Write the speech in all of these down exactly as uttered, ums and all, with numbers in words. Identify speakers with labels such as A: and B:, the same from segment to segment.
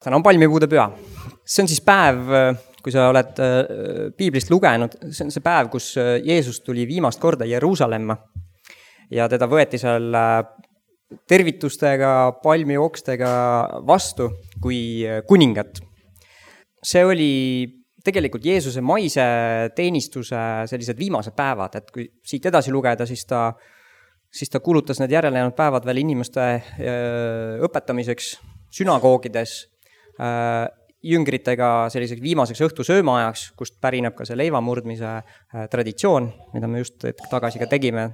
A: Täna on palmipuude püha. See on siis päev, kui sa oled piiblist lugenud, see on see päev, kus Jeesus tuli viimast korda Jeruusalemma ja teda võeti seal tervitustega, palmiokstega vastu kui kuningat. See oli tegelikult Jeesuse maise teenistuse sellised viimased päevad, et kui siit edasi lugeda, siis ta, siis ta kulutas need järelejäänud päevad veel inimeste õpetamiseks sünagoogides, jüngritega selliseks viimaseks õhtu söömaajaks, kust pärineb ka see leivamurdmise traditsioon, mida me just tagasi ka tegime.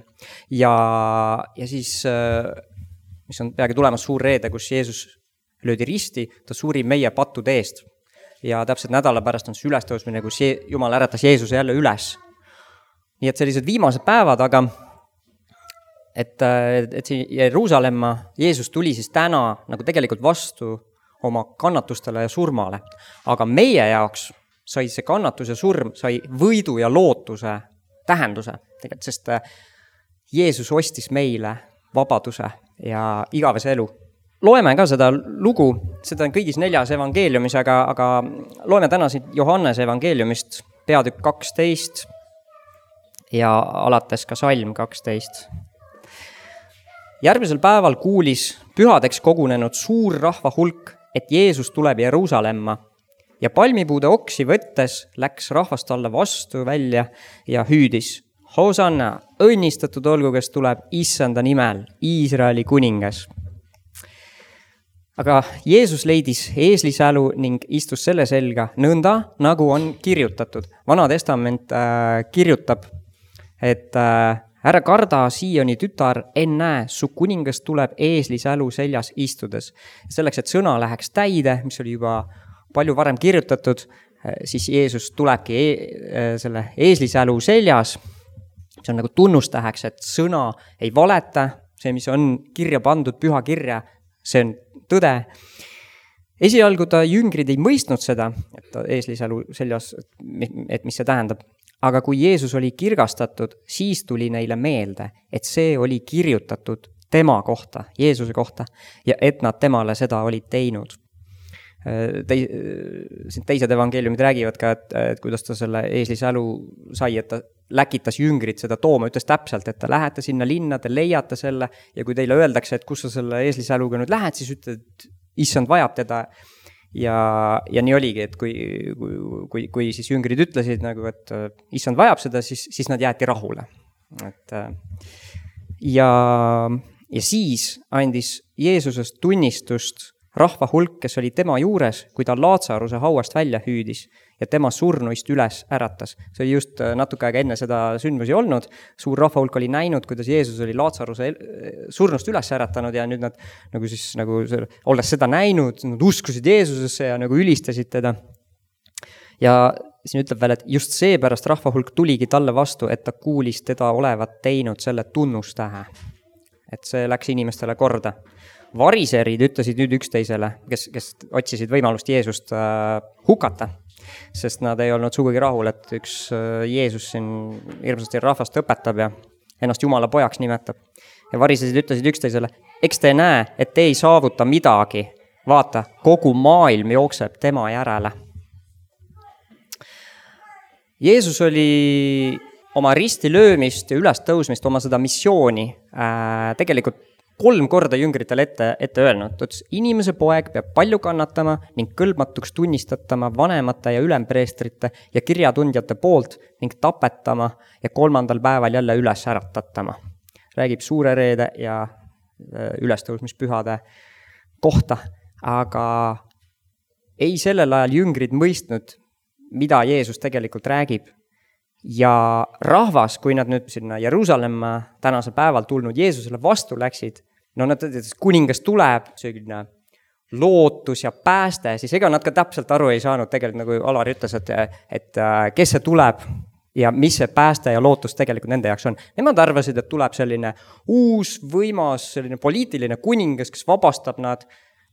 A: Ja, ja siis, mis on peagi tulemas suur reede, kus Jeesus löödi risti, ta suri meie pattude eest. Ja täpselt nädala pärast on see ülestõusmine, kus Jumal äratas Jeesuse jälle üles. Nii et sellised viimased päevad, aga et, et see Jeruusalemma Jeesus tuli siis täna nagu tegelikult vastu oma kannatustele ja surmale. Aga meie jaoks sai see kannatus ja surm sai võidu ja lootuse tähenduse, tegelikult, sest Jeesus ostis meile vabaduse ja igavese elu. Loeme ka seda lugu, seda on kõigis neljas evangeeliumis, aga, aga loeme täna siit Johannese evangeeliumist peatükk kaksteist ja alates ka salm kaksteist. Järgmisel päeval kuulis pühadeks kogunenud suur rahva hulk, et Jeesus tuleb Jeruusalemma ja palmipuude oksi võttes läks rahvast alla vastu välja ja hüüdis: Hosanna, õnnistatud olgu, kes tuleb Issanda nimel, Iisraeli kuningas. Aga Jeesus leidis eeslisälu ning istus selle selga nõnda, nagu on kirjutatud. Vana testament äh, kirjutab, et äh, ära karda, Sioni tütar, ennäe, su kuningas tuleb eeslisälu seljas istudes. Selleks, et sõna läheks täide, mis oli juba palju varem kirjutatud, siis Jeesus tulebki e- selle eeslisälu seljas. See on nagu tunnustäheks, et sõna ei valeta, see, mis on kirja pandud, püha kirja, see on tõde. Esialgu ta jüngrid ei mõistnud seda, et ta eeslisälu seljas, et mis see tähendab. Aga kui Jeesus oli kirgastatud, siis tuli neile meelde, et see oli kirjutatud tema kohta, Jeesuse kohta, ja et nad temale seda olid teinud. Tei, teised evangeeliumid räägivad ka, et, et kuidas ta selle eeslisälu sai, et ta läkitas jüngrid seda tooma, ütles täpselt, et ta lähete sinna linna, te leiate selle, ja kui teile öeldakse, et kus sa selle eeslisäluga nüüd lähed, siis ütled, et issand vajab teda. Ja, ja nii oligi, et kui, kui, kui siis jüngrid ütlesid, nagu, et issand vajab seda, siis, siis nad jäeti rahule. Et, ja, ja siis andis Jeesusest tunnistust rahva hulk, kes oli tema juures, kui ta Laatsaruse hauast välja hüüdis ja tema surnuist üles äratas. See oli just natuke aega enne seda sündmusi olnud. Suur rahva hulk oli näinud, kuidas Jeesus oli Laatsaruse surnust üles äratanud ja nüüd nad, nagu siis, nagu, olles seda näinud, nad uskusid Jeesusesse ja nagu ülistasid teda. Ja siin ütleb veel, et just seepärast rahva hulk tuligi talle vastu, et ta kuulis teda olevat teinud selle tunnustähe. Et see läks inimestele korda. Variserid ütlesid nüüd üksteisele, kes, kes otsisid võimalust Jeesust äh, hukata, sest nad ei olnud sugugi rahul, et üks äh, Jeesus siin hirmsasti rahvast õpetab ja ennast Jumala pojaks nimetab. Ja variserid ütlesid üksteisele: eks te näe, et te ei saavuta midagi. Vaata, kogu maailm jookseb tema järele. Jeesus oli oma risti löömist ja üles tõusmist, oma seda missiooni äh, tegelikult kolm korda jüngritele ette, ette öelnud. Tõts, inimese poeg peab palju kannatama ning kõlbmatuks tunnistatama vanemate ja ülempreestrite ja kirjatundjate poolt ning tapetama ja kolmandal päeval jälle üles äratatama. Räägib suure reede ja ülestõusmispühade kohta, aga ei sellel ajal jüngrid mõistnud, mida Jeesus tegelikult räägib. Ja rahvas, kui nad nüüd sinna Jeruusalemma tänasel päeval tulnud Jeesusele vastu läksid, no nad ütlesid, et kuningas tuleb, selline lootus ja pääste, siis ega nad ka täpselt aru ei saanud tegelikult, nagu Alari ütles, et, et kes see tuleb ja mis see pääste ja lootus tegelikult nende jaoks on. Nemad arvasid, et tuleb selline uus, võimas, selline poliitiline kuningas, kes vabastab nad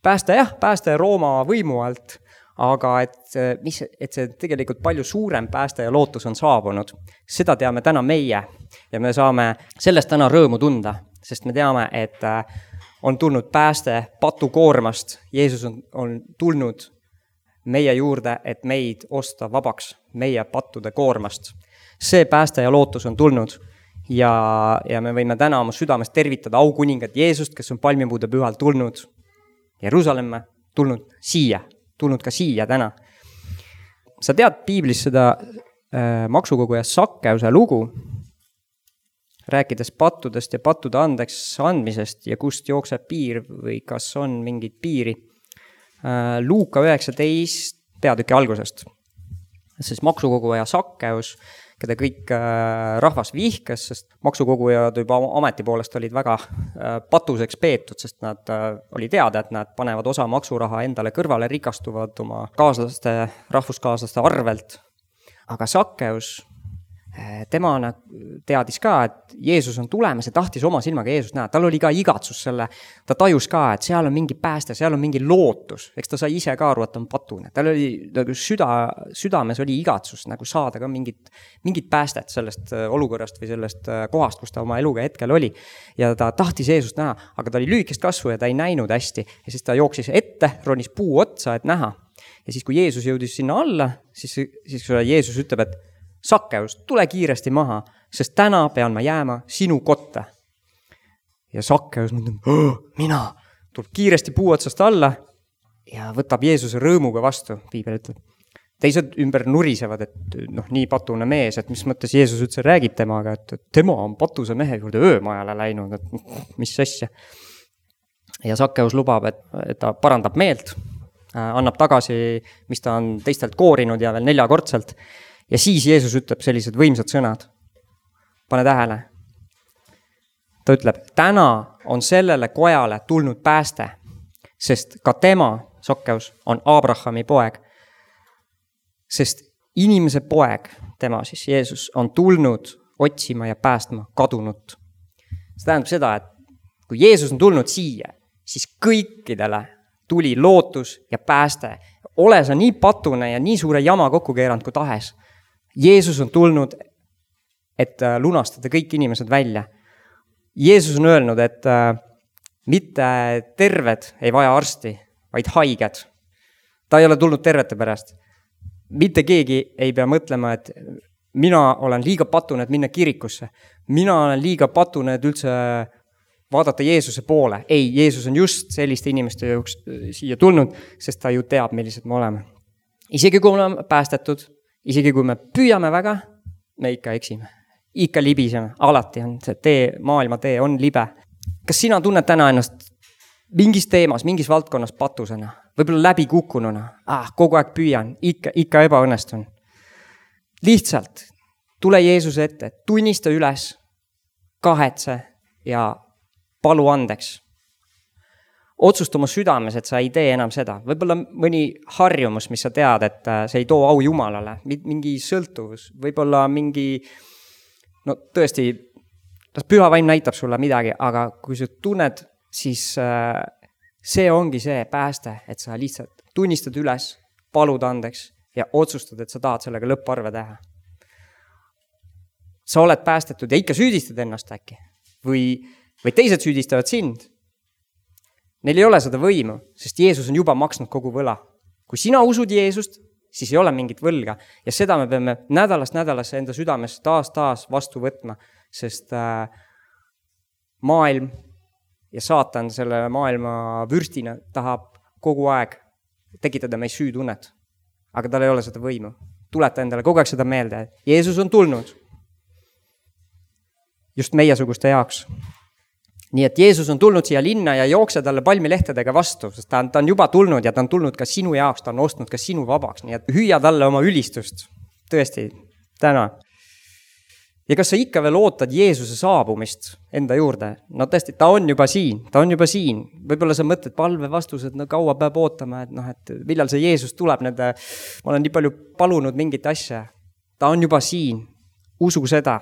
A: pääste, jah, pääste Rooma võimu alt, aga et, mis, et see tegelikult palju suurem pääste ja lootus on saabunud. Seda teame täna meie ja me saame sellest täna rõõmu tunda, sest me teame, et on tulnud pääste patukoormast. Jeesus on, on tulnud meie juurde, et meid osta vabaks meie pattude koormast. See pääste ja lootus on tulnud ja, ja me võime täna oma südames tervitada aukuningat Jeesust, kes on palmipuude pühal tulnud Jeruusalemma, tulnud siia, tulnud ka siia täna. Sa tead piiblis seda äh, maksukoguja Sakkeuse lugu, rääkides pattudest ja pattude andeks andmisest ja kust jookseb piir või kas on mingit piiri. Äh, Luuka üheksateist peatüki algusest. Siis maksukoguja Sakkeus, keda kõik äh, rahvas vihkas, sest maksukogujad juba ameti poolest olid väga äh, patuseks peetud, sest nad äh, oli teada, et nad panevad osa maksuraha endale kõrvale, rikastuvad oma kaaslaste, rahvuskaaslaste arvelt. Aga Sakkeus, tema teadis ka, et Jeesus on tulemas ja tahtis oma silmaga Jeesust näha. Tal oli ka igatsus selle, ta tajus ka, et seal on mingi pääste, seal on mingi lootus. Eks ta sai ise ka aru, et on patune. Tal oli nagu süda, südames oli igatsus nagu saada ka mingit, mingit päästet sellest olukorrast või sellest kohast, kus ta oma eluga hetkel oli. Ja ta tahtis Jeesust näha, aga ta oli lühikest kasvu ja ta ei näinud hästi. Ja siis ta jooksis ette, ronis puu otsa, et näha. Ja siis, kui Jeesus jõudis sinna alla, siis, siis Jeesus ütleb, et Sakkeus, tule kiiresti maha, sest täna pean ma jääma sinu kotta. Ja Sakkeus mõtleb, mina, tuleb kiiresti puu otsast alla ja võtab Jeesuse rõõmuga vastu. Piibel ütleb. Teised ümber nurisevad, et noh, nii patune mees, et mis mõttes Jeesus üldse räägib temaga, et tema on patuse mehe juurde öömajale läinud, et mis asja. Ja Sakkeus lubab, et, et ta parandab meelt, annab tagasi, mis ta on teistelt koorinud ja veel neljakordselt. Ja siis Jeesus ütleb sellised võimsad sõnad. Pane tähele. Ta ütleb, täna on sellele kojale tulnud pääste, sest ka tema, Sakkeus, on Abrahami poeg. Sest inimese poeg, tema siis Jeesus, on tulnud otsima ja päästma kadunut. See tähendab seda, et kui Jeesus on tulnud siia, siis kõikidele tuli lootus ja pääste. Ole sa nii patune ja nii suure jama kokku keeranud kui tahes. Jeesus on tulnud, et lunastada kõik inimesed välja. Jeesus on öelnud, et mitte terved ei vaja arsti, vaid haiged. Ta ei ole tulnud tervete pärast. Mitte keegi ei pea mõtlema, et mina olen liiga patune, et minna kirikusse. Mina olen liiga patune, et üldse vaadata Jeesuse poole. Ei, Jeesus on just selliste inimeste jõuks siia tulnud, sest ta ju teab, millised me oleme. Isegi kui me oleme päästetud, isegi kui me püüame väga, me ikka eksime. Ikka libiseme. Alati on see tee, maailma tee on libe. Kas sina tunned täna ennast mingis teemas, mingis valdkonnas patusena? Võib-olla läbi kukkununa? Ah, kogu aeg püüan. Ikka, ikka ebaõnnestun. Lihtsalt tule Jeesuse ette, tunnista üles, kahetse ja palu andeks. Otsust oma südames, et sa ei tee enam seda. Võib-olla mõni harjumus, mis sa tead, et see ei too au Jumalale, mingi sõltuvus, võib-olla mingi, no tõesti, püha vaim näitab sulle midagi, aga kui sa tunned, siis see ongi see pääste, et sa lihtsalt tunnistad üles, palud andeks ja otsustad, et sa tahad sellega lõpparve teha. Sa oled päästetud ja ikka süüdistad ennast äkki või, või teised süüdistavad sind. Neil ei ole seda võimu, sest Jeesus on juba maksnud kogu võla. Kui sina usud Jeesust, siis ei ole mingit võlga. Ja seda me peame nädalast nädalasse enda südames taas taas vastu võtma, sest äh, maailm ja saatan selle maailma vürstina tahab kogu aeg tekitada meid süütunnet. Aga tal ei ole seda võimu. Tuleta endale kogu aeg seda meelde. Jeesus on tulnud just meiesuguste jaoks. Nii et Jeesus on tulnud siia linna ja jookse talle palmilehtedega vastu, sest ta on, ta on juba tulnud ja ta on tulnud ka sinu jaoks, ta on ostnud ka sinu vabaks. Nii et hüüa talle oma ülistust. Tõesti, täna. Ja kas sa ikka veel ootad Jeesuse saabumist enda juurde? No tõesti, ta on juba siin, ta on juba siin. Võib-olla sa mõtled palve vastused, no kaua peab ootama, et noh, et millal see Jeesus tuleb nende, ma olen nii palju palunud mingit asja. Ta on juba siin, usu seda.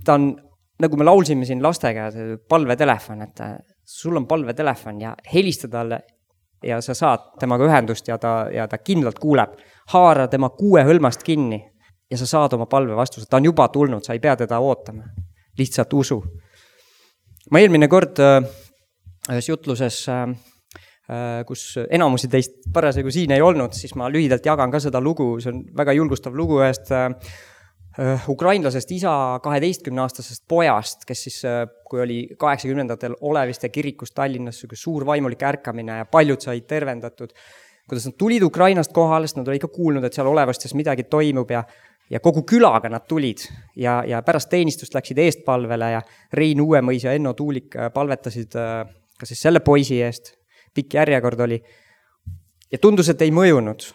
A: Ta on nagu me laulsime siin lastega, palvetelefon, et sul on palvetelefon ja helista talle ja sa saad temaga ühendust ja ta, ja ta kindlalt kuuleb. Haara tema kuue hõlmast kinni ja sa saad oma palve vastuse. Ta on juba tulnud, sa ei pea teda ootama. Lihtsalt usu. Ma eelmine kord ühes jutluses, kus enamusi teist parasjagu siin ei olnud, siis ma lühidalt jagan ka seda lugu, see on väga julgustav lugu ühest ukrainlasest isa kaheteistkümneaastasest pojast, kes siis, kui oli kaheksakümnendatel Oleviste kirikus Tallinnas suur vaimulik ärkamine ja paljud said tervendatud, kuidas nad tulid Ukrainast kohale, sest nad olid ikka kuulnud, et seal Olevastes midagi toimub ja ja kogu külaga nad tulid ja, ja pärast teenistust läksid eestpalvele ja Rein Uuemõis ja Enno Tuulik palvetasid ka siis selle poisi eest, pikk järjekord oli ja tundus, et ei mõjunud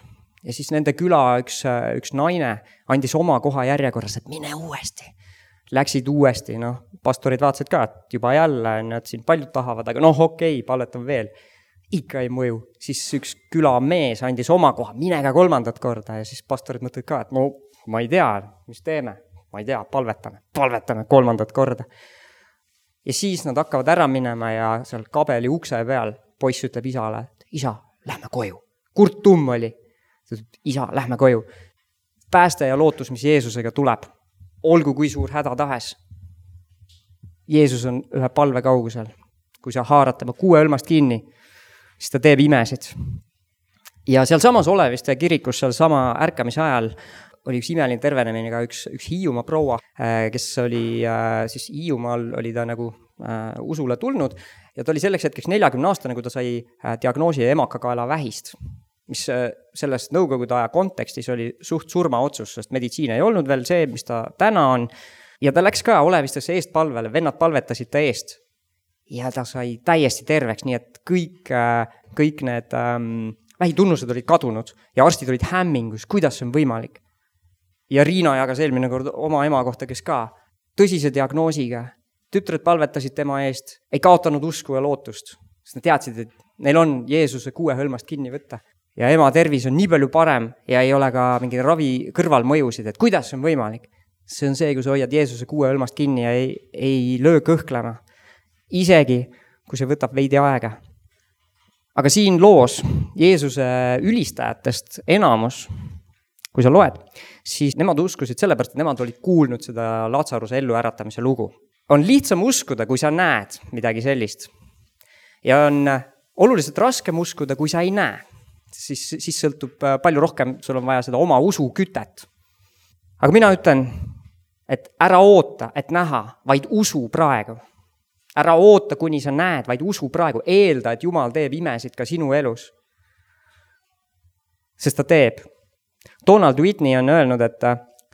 A: ja siis nende küla üks, üks naine andis oma koha järjekorras, et mine uuesti. Läksid uuesti, noh, pastorid vaatasid ka, et juba jälle, nad siin paljud tahavad, aga noh, okei, palvetan veel. Ikka ei mõju, siis üks küla mees andis oma koha, minega kolmandat korda ja siis pastorid mõtlevad ka, et no ma ei tea, mis teeme, ma ei tea, palvetame, palvetame kolmandat korda. Ja siis nad hakkavad ära minema ja seal kabeli ukse peal poiss ütleb isale, et isa, lähme koju. Kurt Tumm oli, isa, lähme koju. Pääste ja lootus, mis Jeesusega tuleb, olgu kui suur häda tahes. Jeesus on ühe palve kaugusel. Kui sa haarad tema kuue õlmast kinni, siis ta teeb imesid. Ja seal samas Oleviste kirikus, seal sama ärkamise ajal oli üks imeline tervenemine ka üks, üks Hiiumaa proua, kes oli siis Hiiumaal oli ta nagu äh, usule tulnud ja ta oli selleks hetkeks neljakümne aastane, kui ta sai äh, diagnoosi emakakaela vähist, mis äh, selles nõukogude aja kontekstis oli suht surmaotsus, sest meditsiin ei olnud veel see, mis ta täna on ja ta läks ka Olevistesse eestpalvele, vennad palvetasid ta eest ja ta sai täiesti terveks, nii et kõik, äh, kõik need ähm, vähitunnused olid kadunud ja arstid olid hämmingus, kuidas see on võimalik. Ja Riina jagas eelmine kord oma ema kohta, kes ka tõsise diagnoosiga, tütred palvetasid tema eest, ei kaotanud usku ja lootust, sest nad teadsid, et neil on Jeesuse kuue hõlmast kinni võtta. Ja ema tervis on nii palju parem ja ei ole ka mingi ravi kõrvalmõjusid, et kuidas see on võimalik. See on see, kui sa hoiad Jeesuse kuue hõlmast kinni ja ei, ei löö kõhklema. Isegi, kui see võtab veidi aega. Aga siin loos Jeesuse ülistajatest enamus, kui sa loed, siis nemad uskusid sellepärast, et nemad olid kuulnud seda Latsaruse ellu äratamise lugu. On lihtsam uskuda, kui sa näed midagi sellist. Ja on oluliselt raskem uskuda, kui sa ei näe. Siis, siis sõltub palju rohkem, sul on vaja seda oma usu kütet. Aga mina ütlen, et ära oota, et näha, vaid usu praegu. Ära oota, kuni sa näed, vaid usu praegu. Eelda, et Jumal teeb imesid ka sinu elus. Sest ta teeb. Donald Whitney on öelnud, et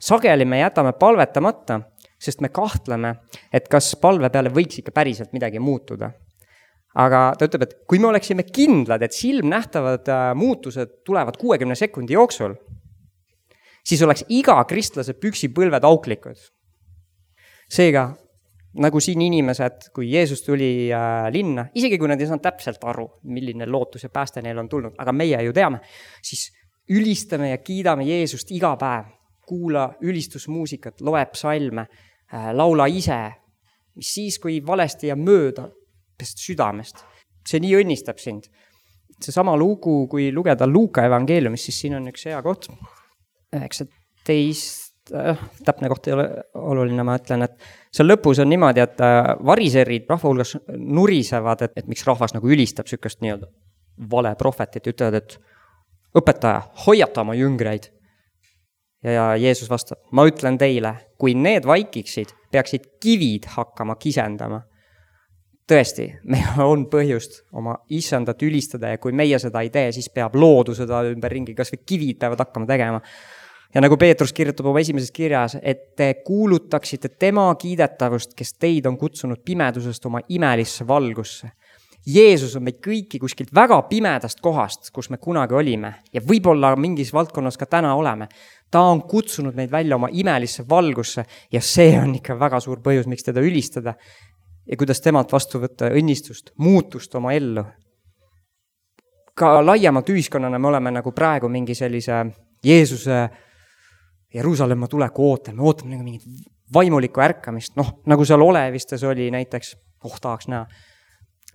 A: sageli me jätame palvetamata, sest me kahtleme, et kas palve peale võiks ikka päriselt midagi muutuda. Aga ta ütleb, et kui me oleksime kindlad, et silmnähtavad muutused tulevad kuuekümne sekundi jooksul, siis oleks iga kristlase püksipõlved auklikud. Seega, nagu siin inimesed, kui Jeesus tuli linna, isegi kui nad ei saanud täpselt aru, milline lootus ja pääste neil on tulnud, aga meie ju teame, siis ülistame ja kiidame Jeesust iga päev, kuula ülistusmuusikat, loeb psalme, laula ise, mis siis, kui valesti ja mööda südamest. See nii õnnistab sind. See sama lugu, kui lugeda Luuka evangeeliumist, siis siin on üks hea koht. üheksateist, äh, täpne koht ei ole oluline, ma ütlen, et seal lõpus on niimoodi, et variserid rahva hulgas nurisevad, et, et miks rahvas nagu ülistab sükast nii-öelda vale prohvetit, ütlevad, et õpetaja, hoiata oma jüngreid. Ja, ja Jeesus vastab, ma ütlen teile, kui need vaikiksid, peaksid kivid hakkama kisendama. Tõesti, meil on põhjust oma issandat ülistada ja kui meie seda ei tee, siis peab loodu seda ümber ringi, kas või kivid peavad hakkama tegema. Ja nagu Peetrus kirjutab oma esimeses kirjas, et te kuulutaksite tema kiidetavust, kes teid on kutsunud pimedusest oma imelisse valgusse. Jeesus on meid kõiki kuskilt väga pimedast kohast, kus me kunagi olime ja võib-olla mingis valdkonnas ka täna oleme. Ta on kutsunud meid välja oma imelisse valgusse ja see on ikka väga suur põhjus, miks teda ülistada ja kuidas temalt vastu võtta õnnistust, muutust oma ellu. Ka laiemalt ühiskonnana me oleme nagu praegu mingi sellise Jeesuse Jeruusalemma tuleku ootel, me ootame nagu mingit vaimulikku ärkamist, noh, nagu seal Olevistes oli näiteks, oh tahaks näha,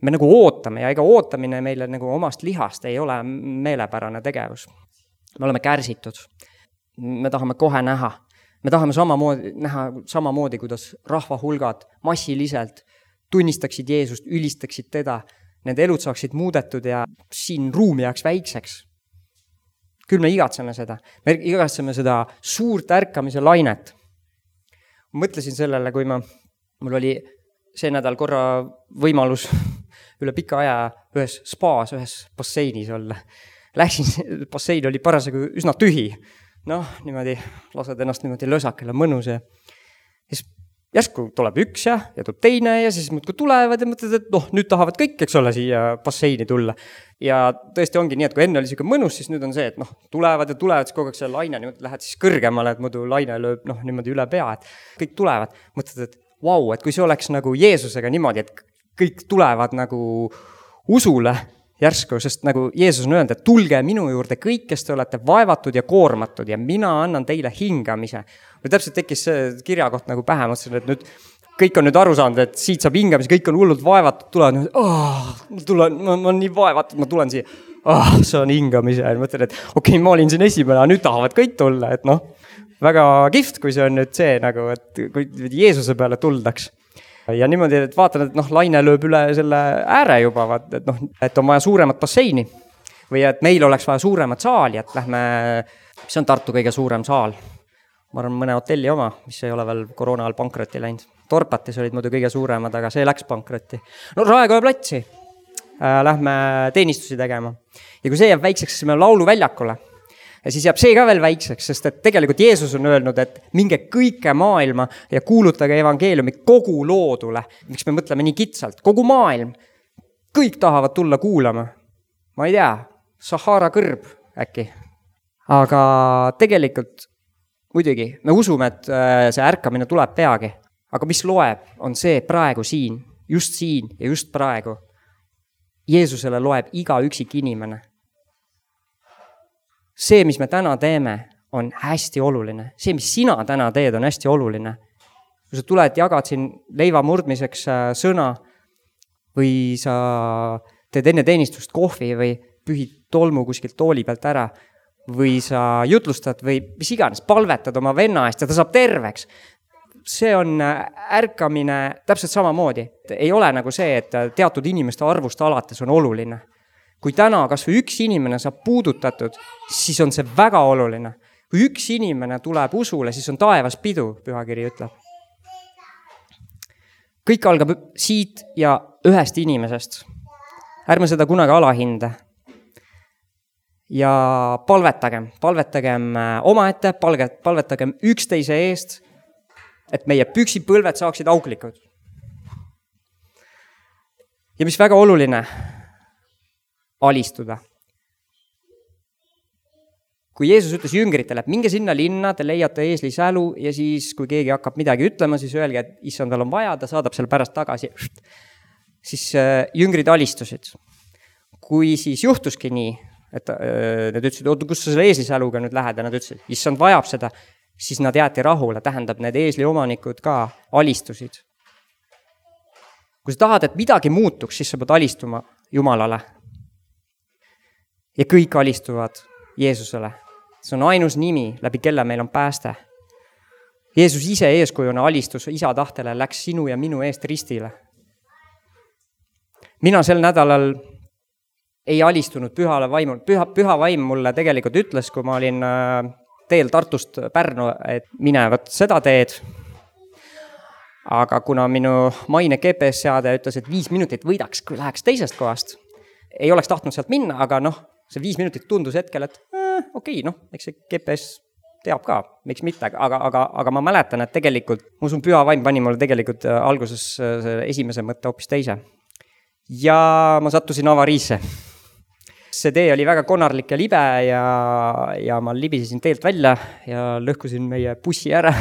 A: me nagu ootame ja ega ootamine meile nagu omast lihast ei ole meelepärane tegevus. Me oleme kärsitud. Me tahame kohe näha. Me tahame samamoodi, näha samamoodi, kuidas rahva hulgad massiliselt tunnistaksid Jeesust, ülistaksid teda nende elud saaksid muudetud ja siin ruumi jääks väikseks. Küll me igatseme seda. Me igatseme seda suurt ärkamise lainet. Ma mõtlesin sellele, kui ma, mul oli see nädal korra võimalus üle pika aja ühes spaas, ühes basseinis olla. Läksin, bassein oli parasjagu üsna tühi. Noh, niimoodi lased ennast niimoodi lösakele mõnus ja siis järsku tuleb üks ja, ja tuleb teine ja siis muudkui tulevad ja mõtled, et noh, nüüd tahavad kõik, eks ole, siia basseini tulla. Ja tõesti ongi nii, et kui enne oli siuke mõnus, siis nüüd on see, et noh, tulevad ja tulevad, siis kogu aeg see laine niimoodi lähed siis kõrgemale, et muidu laine lööb noh, niimoodi üle pea, et kõik tulevad. Mõtled, et vau, wow, et kui see oleks nagu Jeesusega niimoodi, et kõik tulevad nagu usule järsku, sest nagu Jeesus on öelnud, et tulge minu juurde kõik, kes te olete vaevatud ja koormatud ja mina annan teile hingamise. Või täpselt tekkis see kirjakoht nagu pähe, mõtlesin, et nüüd kõik on nüüd aru saanud, et siit saab hingamise, kõik on hullult vaevatud, tulevad nüüd, oh, ma, tulen, ma, ma olen nii vaevatud, ma tulen siia, oh, see on hingamise. Ja mõtlen, et okei, okay, ma olin siin esimene, nüüd tahavad kõik tulla, et noh, väga kihvt, kui see on nüüd see nagu, et kui Jeesuse peale tuldaks. Ja niimoodi, et vaatan, et noh, laine lööb üle selle ääre juba, vaat, et noh, et on vaja suuremat basseini või et meil oleks vaja suuremat saali, et lähme, mis on Tartu kõige suurem saal? Ma arvan, mõne hotelli oma, mis ei ole veel koroona all pankrotti läinud. Torpatis olid muidu kõige suuremad, aga see läks pankrotti. No Raekoja platsi. Lähme teenistusi tegema. Ja kui see jääb väikseks, siis me laulu väljakule. Ja siis jääb see ka veel väikseks, sest et tegelikult Jeesus on öelnud, et minge kõike maailma ja kuulutage evangeeliumi kogu loodule. Miks me mõtleme nii kitsalt? Kogu maailm. Kõik tahavad tulla kuulama. Ma ei tea, Sahara kõrb äkki. Aga tegelikult muidugi me usume, et see ärkamine tuleb peagi. Aga mis loeb, on see praegu siin, just siin ja just praegu. Jeesusele loeb iga üksik inimene. See, mis me täna teeme, on hästi oluline. See, mis sina täna teed, on hästi oluline. Kui sa tuled, jagad siin leiva murdmiseks sõna või sa teed enne teenistust kohvi või pühid tolmu kuskilt tooli pealt ära või sa jutlustad või mis iganes, palvetad oma venna eest ja ta saab terveks. See on ärkamine täpselt samamoodi. Ei ole nagu see, et teatud inimeste arvust alates on oluline. Kui täna kas või üks inimene saab puudutatud, siis on see väga oluline. Kui üks inimene tuleb usule, siis on taevas pidu, pühakiri ütleb. Kõik algab siit ja ühest inimesest. Ärme seda kunagi alahinde. Ja palvetagem, palvetagem omaette, palvetagem üksteise eest, et meie püksipõlved saaksid auklikud. Ja mis väga oluline, alistuda. Kui Jeesus ütles jüngritele, et minge sinna linna, te leiate eesli sälu ja siis, kui keegi hakkab midagi ütlema, siis öelge, et issand, tal on vaja, ta saadab selle pärast tagasi. Siis jüngrid alistusid. Kui siis juhtuski nii, et nad ütlesid, oota, kus sa selle eesli säluga nüüd lähed ja nad ütlesid, issand vajab seda, siis nad jäeti rahule, tähendab, need eesli omanikud ka alistusid. Kui sa tahad, et midagi muutuks, siis sa pead alistuma Jumalale. Ja kõik alistuvad Jeesusele. See on ainus nimi, läbi kelle meil on pääste. Jeesus ise eeskujuna alistus isa tahtele, läks sinu ja minu eest ristile. Mina sel nädalal ei alistunud pühale vaimul. Püha, püha vaim mulle tegelikult ütles, kui ma olin teel Tartust Pärnu, et mine võt seda teed. Aga kuna minu maine G P S-seade ütles, et viis minutit võidaks, kui läheks teisest kohast, ei oleks tahtnud sealt minna, aga noh, see viis minutit tundus hetkel, et eh, okei, noh, eks see G P S teab ka, miks mitte, aga, aga, aga ma mäletan, et tegelikult, ma usun, püha vaim pani mulle tegelikult alguses esimese mõtte hoopis teise. Ja ma sattusin avariisse. See tee oli väga konarlik ja libe ja, ja ma libisesin teelt välja ja lõhkusin meie bussi ära.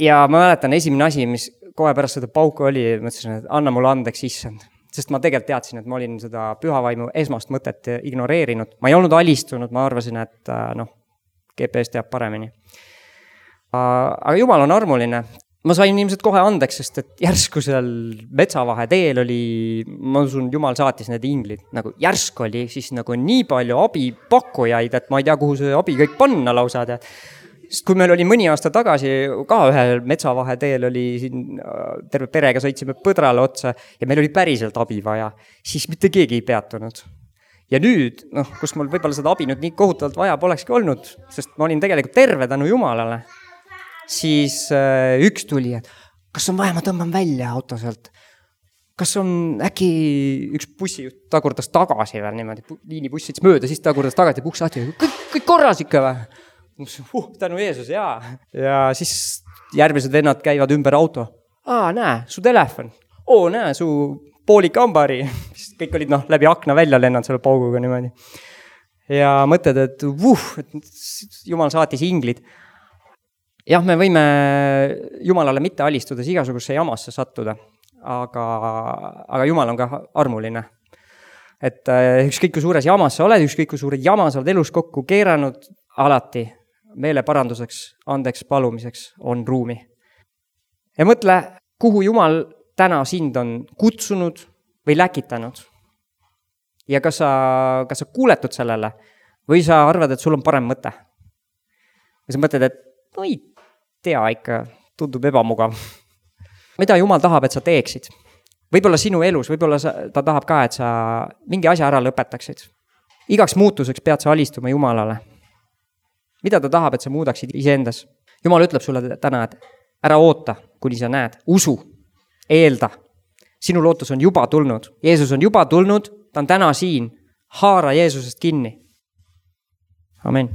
A: Ja ma mäletan, esimene asi, mis kohe pärast seda pauku oli, mõtlesin, et anna mulle andeks issand. Sest ma tegelikult teadsin, et ma olin seda pühavaimu esmast mõtet ignoreerinud. Ma ei olnud alistunud, ma arvasin, et noh, G P S teab paremini. Aga Jumal on armuline. Ma sain ilmselt kohe andeks, sest et järsku seal metsavahe teel oli, ma usun, Jumal saatis need inglid. Nagu järsk oli siis nagu nii palju abipakkujaid, et ma ei tea, kuhu see abi kõik panna lausa. Sest kui meil oli mõni aasta tagasi ka ühel metsavaheteel oli siin terve perega sõitsime põdrale otsa ja meil oli päriselt abi vaja, siis mitte keegi ei peatunud. Ja nüüd, noh, kus mul võib-olla seda abi nüüd nii kohutavalt vaja polekski olnud, sest ma olin tegelikult terve tänu Jumalale, siis üks tuli, et kas on vaja, ma tõmban välja auto sealt. Kas on äkki üks bussi tagurdas tagasi veel niimoodi, liinibussi sõits mööda, siis tagurdas tagasi puks lahti, kõik, kõik korras ikka või? Uh, tänu Jeesus, jaa. Ja siis järgmised vennad käivad ümber auto. Aa, näe, su telefon. Oo, näe, su poolik ambari. Kõik olid noh, läbi akna välja lennanud selle pauguga niimoodi. Ja mõtled, et uh, et Jumal saatis inglid. Jah, me võime Jumalale mitte alistudes igasugusse jamasse sattuda, aga, aga Jumal on ka armuline. Et ükskõik kui suures jamas sa oled, ükskõik kui suured jama sa oled elus kokku keeranud, alati meele paranduseks, andeks palumiseks on ruumi. Ja mõtle, kuhu Jumal täna sind on kutsunud või läkitanud. Ja kas sa, kas sa kuuletud sellele või sa arvad, et sul on parem mõte. Ja sa mõtled, et no ei tea ikka, tundub ebamugav. Mida Jumal tahab, et sa teeksid? Võib-olla sinu elus, võib-olla sa, ta tahab ka, et sa mingi asja ära lõpetaksid. Igaks muutuseks pead sa alistuma Jumalale. Mida ta tahab, et sa muudaksid iseendas? Jumal ütleb sulle täna, et ära oota, kuni sa näed. Usu, eelda. Sinu lootus on juba tulnud. Jeesus on juba tulnud, ta on täna siin. Haara Jeesusest kinni. Amen.